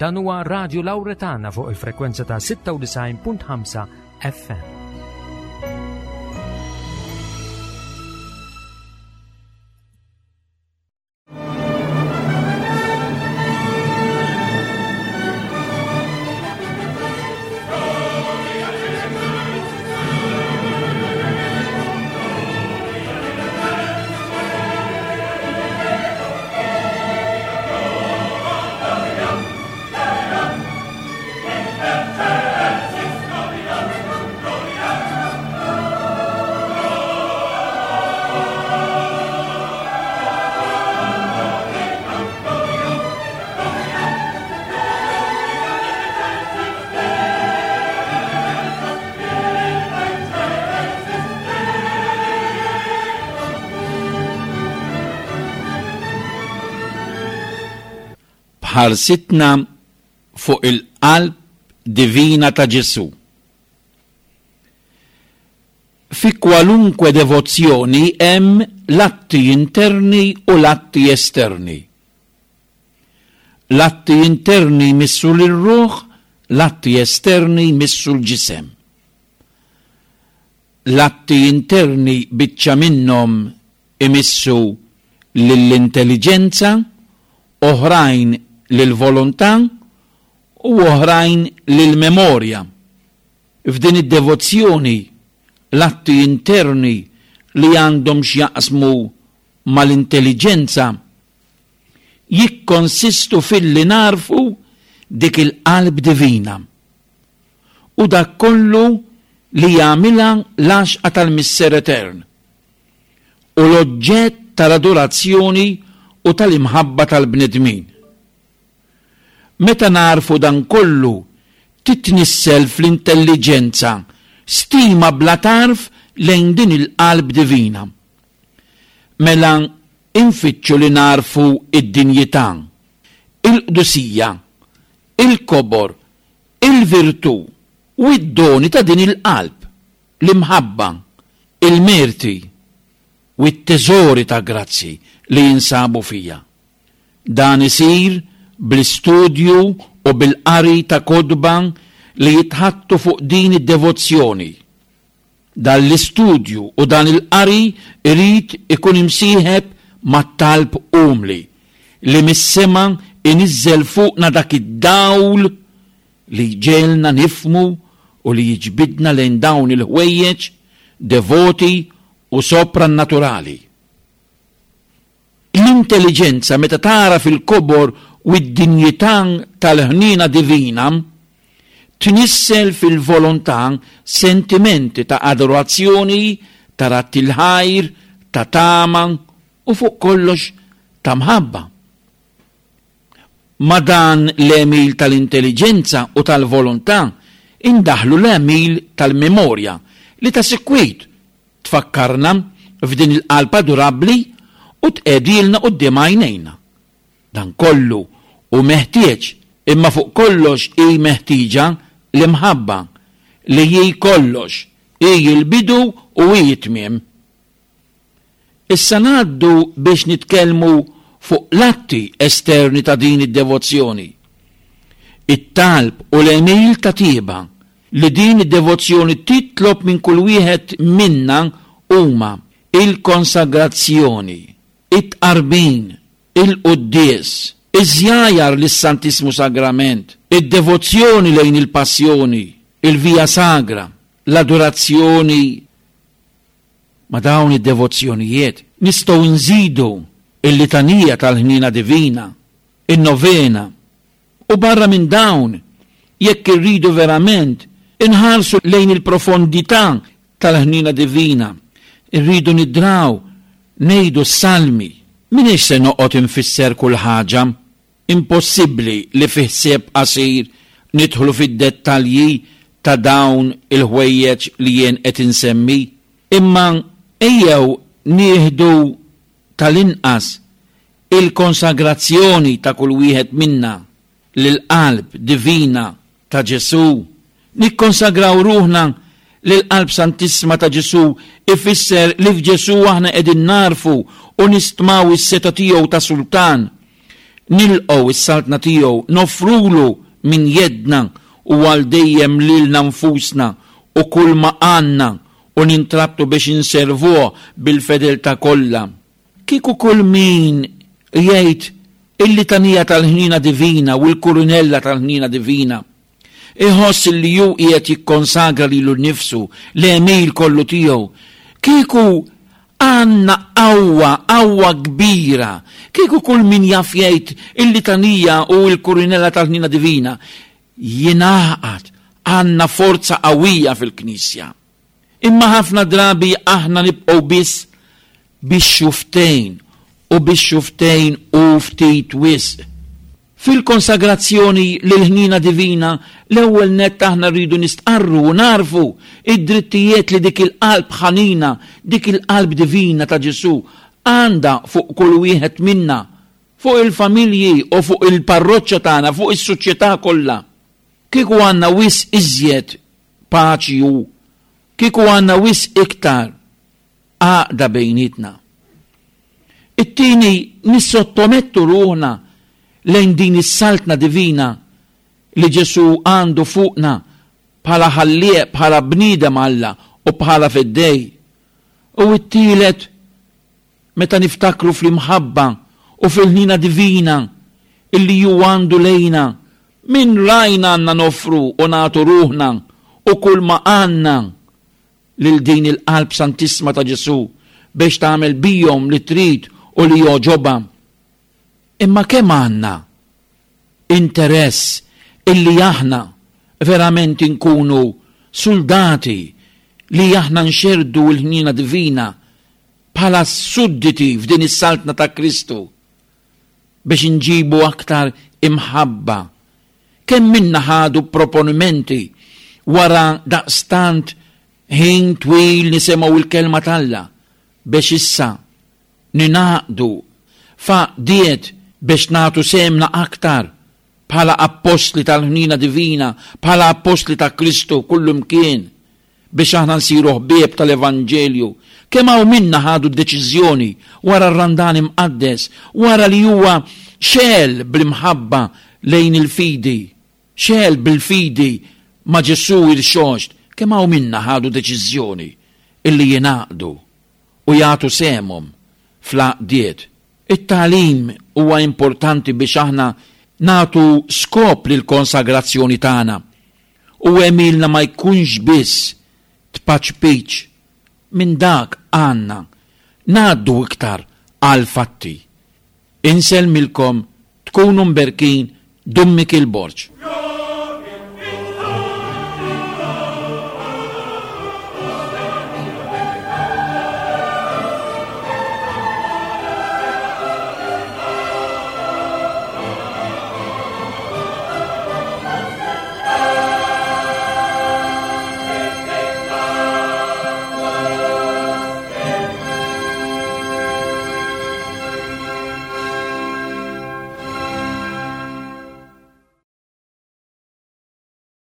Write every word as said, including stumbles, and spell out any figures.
Dan huwa Radio Lauretana fuq il-frekwenza ta' sitta u disgħin punt ħamsa F M. B'ħarsitna fuq il-qalb divina ta' Ġesù. Fi kwalunkwe devozzjoni hemm l-atti interni u l-atti esterni. L-atti interni jmissu l-ruħ, l-atti esterni jmissu l-ġisem. L-atti interni biċċa minnhom imissu lill-intelligenza, oħrajn lill-volontà u oħrajn lill-memorja. F'din id-devozzjoni l-atti interni li għandhom x'jaqsmu mal-intelligenza jikkonsistu filli nagħrfu dik il-qalb divina u dak kollu li jagħmilha l-għaxqa tal-Missier Etern u l-oġġett tal-adorazzjoni u tal-imħabba tal-bnedmin. Meta nagħrfu dan kollu, titnissel fl-intelligenza stima bla tarf lejn din il-qalb divina. Mela infittxu li nagħrfu id-dinjità, il-qdusija, il-kobor, il-virtù u id-doni ta' din il-qalb, l-imħabba, il-merti u t-teżori ta' grazzi li jinsabu fija. Dan isir bl-istudju u bil-qari ta' kotba li jitħaddtu fuq din id-devozzjoni. Dan l-istudju u dan il-qari irid ikun imsieħeb mat-talb umli li mis-sema inizzel fuqna dak id-dawl li jġegħelna nifhmu u li jiġbidna lejn dawn il-ħwejjeġ devoti u soprannaturali. L-intelligenza, meta tara fil-kobor u id-dinjità tal-ħnina divina, tnissel fil-volontà sentimenti ta' adorazzjoni, ta' radd il-ħajr, ta' tama u fuq kollox ta' mħabba. Ma' dan l-għemil tal-intelligenza u tal-volontà indaħlu l-għemil tal-memorja li ta' sikwit tfakkarna f'din il-qalb adorabli u tqegħedhielna quddiem għajnejna. Dan kollu hu meħtieġ, imma fuq kollox hi meħtieġa l-imħabba li hi kollox, hi l-bidu u hi t-tmiem. Issa ngħaddu biex nitkellmu fuq l-atti esterni ta' din id-devozzjoni. It-talb u l-għemil ta' tieba li din id-devozzjoni titlob minn kull wieħed minna huma il-konsagrazzjoni, it-tqarbin, il-quddies, iż-żjajar lis-Santissmu Sagrament, id-devozzjoni lejn il-Passjoni, il-Via Sagra, l-adorazzjoni. Ma' dawn id-devozzjonijiet nistgħu nżidu il-litanija tal-ħnina divina, in-novena, u barra minn dawn, jekk irridu verament inħarsu lejn il-profondità tal-ħnina divina, irridu nidraw ngħidu s-salmi. M'iniex se noqgħod infisser kull ħaġa, impossibbli li fi ħsieb qasir nidħlu fid-dettalji ta' dawn il-ħwejjeġ li jien qed insemmi, imma ejjew nieħdu tal-inqas il-konsagrazzjoni ta' kull wieħed minna lil-qalb divina ta' Ġesù. Nikkonsagraw ruħna lill-qalb santissima ta' Ġesù ifisser li f'Ġesù aħna qegħdin nagħrfu u nistmaw is-setgħa tiegħu ta' sultan. Nilqgħu s-saltna tiegħu, nofrulu minn jedna u għal dejjem lilna nfusna u kull ma għandna u nintrabtu biex inservuh bil-fedeltà kollha. Kieku kull min jgħid il-litanija tal-ħniena divina u l-kurunella tal-ħniena divina, iħoss li hu qiegħed jikkonsagra lilu nnifsu l-għemil kollu tiegħu. Kieku għandna qawwa, qawwa kbira. Kieku kull min jaf jgħid il-litanija u l-kurunella tal-ħniena divina jingħaqad, għandna forza qawwija fil-Knisja. Imma ħafna drabi aħna nibqgħu biss bix-xuftejn u bix-xuftejn u ftit wisq. Fil-konsagrazzjoni lill-ħniena divina, l-ewwel nett aħna rridu nistqarru u narfu id-drittijiet li dik il-qalb ħanina, dik il-qalb divina ta' Ġesù għandha fuq kull wieħed minna, fuq il-familji u fuq il-parroċċa tagħna, fuq is-soċjetà kollha. Kieku għandna wisq iżjed paċi u kieku għandna wisq iktar għaqda bejnietna. It-tieni, nissottomettu ruħna lejn din is-saltna divina li Ġesù għandu fuqna bħala ħallieq, bħala bniedem Alla u bħala feddej. U t-tielet, meta niftakru fl-imħabba u fil-ħnina divina illi ju għandu lejna, minn rajna għandna nofru u nagħtu ruħna u kull ma għandna lil din il-qalb santissima ta' Ġesù biex tagħmel bihom li trid u li jogħġobha. Imma kemm għandna interess illi aħna verament inkunu soldati li aħna nxerdu l-ħniena divina bħala sudditi f'din is-saltna ta' Kristu biex inġibu aktar imħabba. Kemm minna ħadu proponimenti wara daqstant ħin twil nisimgħu il-kelma t'Alla biex issa ninaqdu f'għaqdiet biex nagħtu semna aktar bħala appostli tal-ħnina divina, bħala appostli ta' Kristu kullumkien biex aħna nsiru ħbieb tal-Evanġelju. Kemm hawn minna ħadu d-deċiżjoni wara r-Randan imqaddes, wara li huwa xegħel bl-imħabba lejn il-fidi, xegħel bil-fidi ma' Ġesù irxoxt, kemm hawn minna ħadu deċiżjoni illi jingħaqdu u jagħtu sehemhom fl-għaqdiet. It-tagħlim huwa importanti biex aħna nagħtu skop lill-konsagrazzjoni tagħna u għemilna ma jkunx biss tpaċpiċ. Minn dak għandna ngħaddu iktar għal fatti. Insellmilkom, tkunu mberkin, Dun Mikiel Borg.